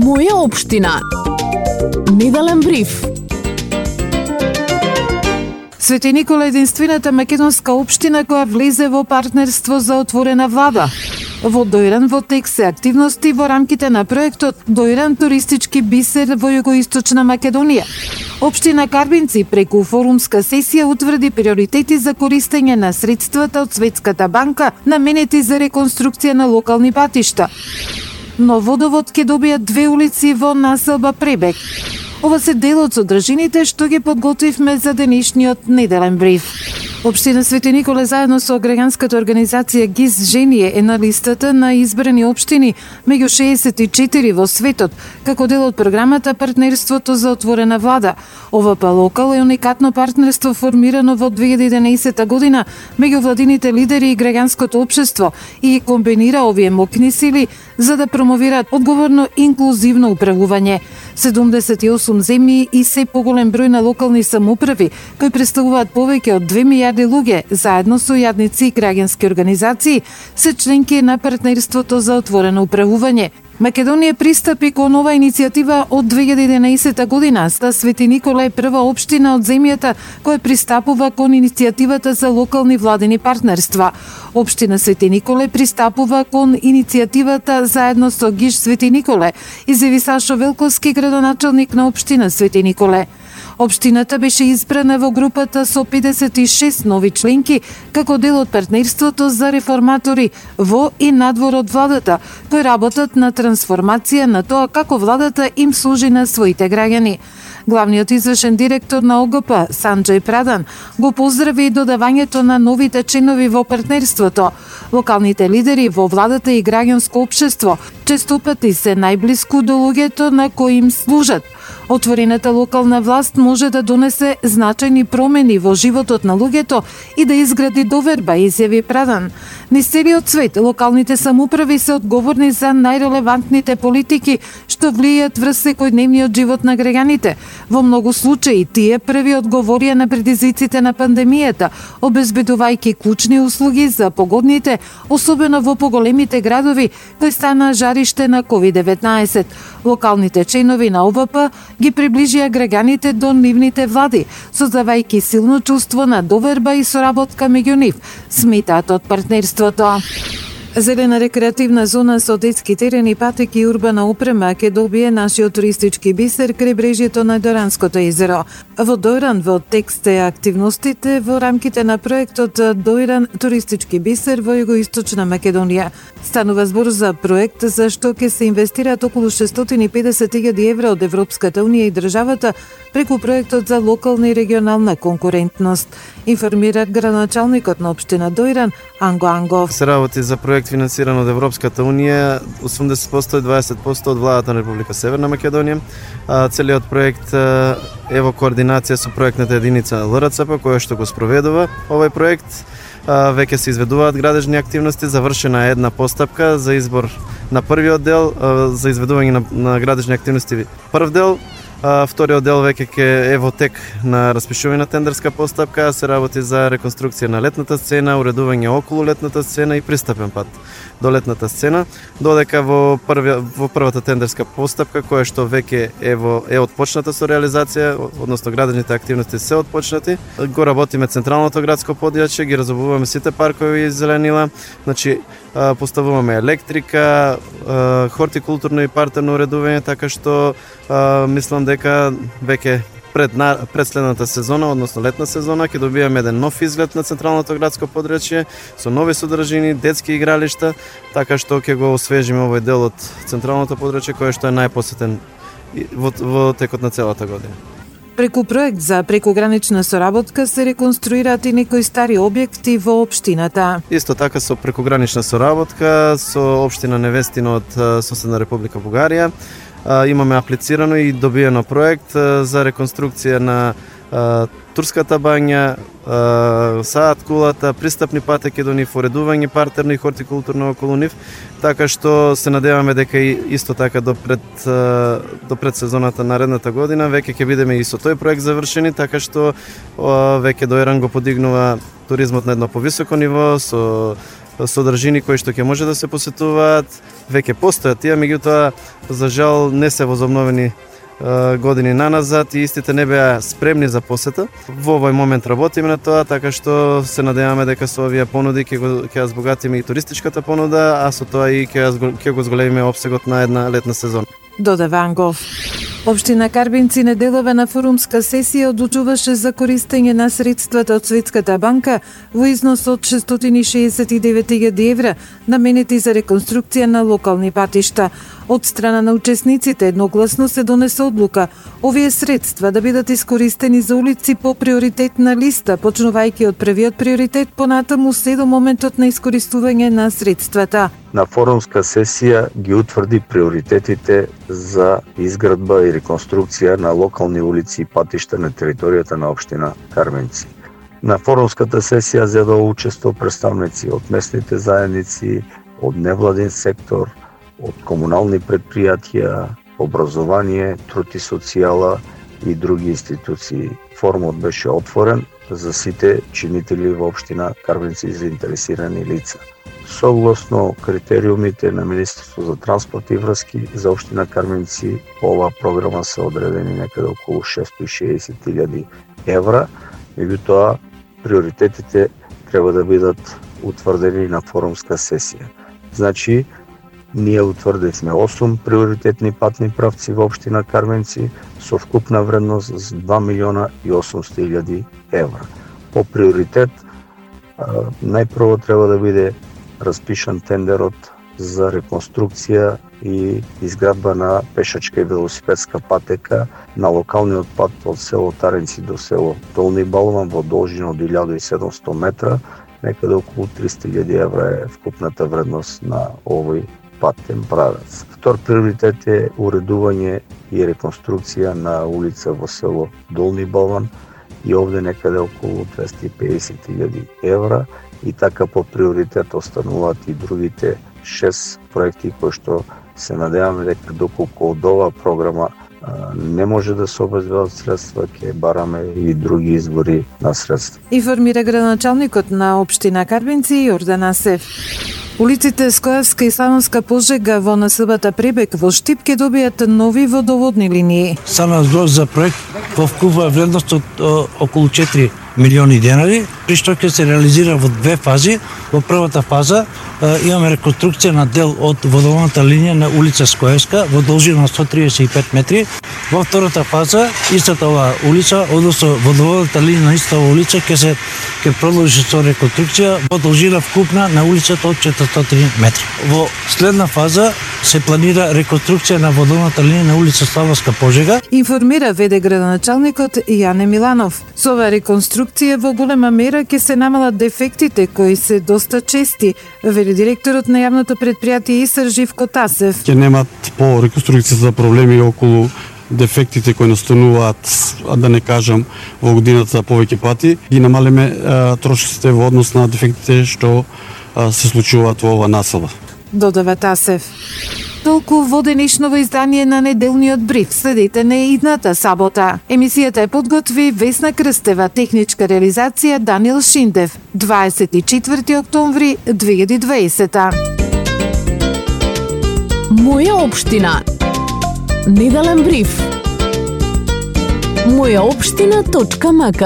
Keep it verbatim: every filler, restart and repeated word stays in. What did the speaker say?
Моја општина. Неделен бриф. Свети Никола е единствената македонска општина која влезе во партнерство за отворена влада. Во Дојран во тек се активности во рамките на проектот Дојран туристички бисер во југоисточна Македонија. Општина Карбинци преку форумска сесија утврди приоритети за користење на средствата од Светската банка наменети за реконструкција на локални патишта. Но водовод ќе добијат две улици во населба Пребег. Ова се дел од содржините што ги подготвивме за денешниот неделен бриф. Општина Свети Николе заедно со граѓанската организација ГИС Женije е на листата на избрани општини меѓу шеесет и четири во светот, како дел од програмата Партнерството за отворена влада. Ова па локал е уникатно партнерство формирано во две илјади и единаесета година меѓу владините лидери и граѓанското општество и ги комбинира овие моќни сили за да промовираат одговорно инклузивно управување. седумдесет и осум земји и се поголем број на локални самоуправи, кои представуваат повеќе од две милијарди луѓе, заедно со јадници и граѓански организации, се членки на партнерството за отворено управување. Македонија пристапи кон ова иницијатива од две илјади и единаесета година. Ста Свети Никола е прва општина од земјата која пристапува кон иницијативата за локални владени партнерства. Општина Свети Николе пристапува кон иницијативата заедно со ГИС Свети Николе, изјави Сашо Велковски, градоначалник на општина Свети Николе. Општината беше избрана во групата со педесет и шест нови членки како дел од партнерството за реформатори во и надвор од владата, кои работат на трансформација на тоа како владата им служи на своите граѓани. Главниот извршен директор на О Г П, Санџеј Прадан, го поздрави и додавањето на новите членови во партнерството. Локалните лидери во владата и граѓанско општество често пати се најблиску до луѓето на кои им служат. Отворената локална власт може да донесе значајни промени во животот на луѓето и да изгради доверба, изјави Прадан. Низ целиот свет, локалните самоуправи се одговорни за најрелевантните политики што влијаат врз секојдневниот живот на граѓаните. Во многу случаи, тие први одговорија на предизвиците на пандемијата, обезбедувајќи клучни услуги за погодните, особено во поголемите градови, кои стана жариште на ковид деветнаесет. Локалните членови на О В П ги приближија граѓаните до нивните влади, создавајќи силно чувство на доверба и соработка меѓу нив, сметаат од партнерството. Зелена рекреативна зона со детски терени, патеки и урбана опрема ќе добие нашиот туристички бисер крај брежјето на Дојранското езеро. Во Дојран во текст е активностите во рамките на проектот Дојран туристички бисер во југоисточна Македонија. Станува збор за проект за што ќе се инвестираат околу шестстотини и педесет илјади евра од Европската унија и државата преку проектот за локална и регионална конкурентност, информира градоначалникот на општина Дојран Анго Ангов. Се работи за проект финансиран од Европската унија, осумдесет проценти и дваесет проценти од владата на Република Северна Македонија. Целиот проект е во координација со проектната единица Л Р Ц П која што го спроведува овој проект. Веќе се изведуваат градежни активности, завршена е една постапка за избор на првиот дел, за изведување на, на градежни активности прв дел. Вториот дел веќе ќе е во тек на распишување на тендерска постапка, се работи за реконструкција на летната сцена, уредување околу летната сцена и пристапен пат до летната сцена, додека во првия во првата тендерска постапка која што веќе е во е отпочната со реализација, односно градежните активности се отпочнати. Го работиме централното градско подјаче, ги разобуваме сите паркови и зеленила, значи поставуваме електрика, хортикултурно и партерно уредување, така што мислам дека веќе пред, на, пред следната сезона, односно летна сезона, ќе добиеме еден нов изглед на централното градско подрачје со нови содржини, детски игралишта, така што ќе го освежиме овој дел од централното подрачје кој што е најпосетен во, во текот на целата година. Преку проект за прекугранична соработка се реконструираат и некои стари објекти во општината. Исто така со прекугранична соработка со општина Невестино од соседна Република Бугарија. Имаме аплицирано и добиено проект за реконструкција на Турската бања, саат кулата, пристапни патеки до нив, уредување партерно и хортикултурно околу нив, така што се надеваме дека и исто така до пред до пред сезоната наредната година веќе ќе бидеме и со тој проект завршени, така што веќе Дојран го подигнува туризмот на едно повисоко ниво со содржини кои што ќе може да се посетуваат, веќе постојат тие, меѓутоа за жал не се возобновени години наназад и истите не беа спремни за посета. Во овој момент работиме на тоа, така што се надеваме дека со овие понуди ќе го ќе ја збогатиме и туристичката понуда, а со тоа и ќе ќе го зголемиме опсегот на една летна сезона. Додава Ангов. Општина Карбинци неделова на форумска сесија одлучуваше за користење на средствата од Светската банка во износ од шестстотини и шеесет и девет илјади евра наменети за реконструкција на локални патишта. Од страна на учесниците едногласно се донесе одлука овие средства да бидат искористени за улици по приоритетна листа, почнувајќи од првиот приоритет понатаму се до моментот на искористување на средствата. На форумска сесија ги утврди приоритетите за изградба и реконструкција на локални улици и патишта на територијата на општина Карменци. На форумската сесија зедоа учество представници од местните заедници, од невладин сектор, од комунални предпријатија, образование, труд и социјала и други институции. Форумот беше отворен за сите чинители во општина Карменци и заинтересирани лица. Согласно критериумите на Министерство за транспорт и врски за општина Карменци, по оваа програма се одредени некаде околу шестстотини и шеесет илјади евра, меѓутоа приоритетите треба да бидат утврдени на форумска сесија. Значи, ние утврдивме осум приоритетни патни правци во општина Карменци со вкупна вредност за два милиона и осумстотини илјади евра. По приоритет, најпрво треба да биде распишан тендерот за реконструкција и изградба на пешачка и велосипедска патека на локалниот пат од село Таренци до село Долни Балван во должина од илјада и седумстотини метра, некаде околу триста илјади евра е вкупната вредност на овој патен правец. Втор приоритет е уредување и реконструкција на улица во село Долни Балван и овде некаде околу двесте и педесет илјади евра, и така по приоритет остануваат и другите шест проекти кои што се надеваме дека доколку од оваа програма а, не може да се обезбедат средства, ќе бараме и други извори на средства. Информира градоначалникот на општина Карбинци Јордан Асев. Улиците Скојевска и Славонска Пожега во населбата Пребек во Штип ќе добијат нови водоводни линии. Сама збор за проект во вкупна вредност од о, околу четири милиони денари, при што ќе се реализира во две фази. Во првата фаза е, имаме реконструкција на дел од водоводната линија на улица Скоевска во должина на сто триесет и пет метри. Во втората фаза истата оваа улица, односно водоводната линија на истата оваа улица ќе се ќе продолжи со реконструкција во должина вкупна на улицата од четиристотини метри. Во следна фаза се планира реконструкција на водоводната линија на улица Славонска Пожега. Информира веде градоначалникот Јане Миланов. Со оваа реконструкција во голема мера ќе се намалат дефектите кои се доста чести, вели директорот на јавното предпријатие ИСР Живко Тасев. Ќе немат по реконструкцијата проблеми околу дефектите кои настануваат, а да не кажам, во годината повеќе пати, ги намалиме трошоците во однос на дефектите што а, се случуваат во ова населба. Додава Тасев. Толку во денешново издание на неделниот бриф. Следете на идната сабота. Емисијата е подготви Весна Крстева, техничка реализација Даниел Шиндев. дваесет и четврти октомври две илјади и дваесета. Моја општина. Неделен бриф. моја општина точка м к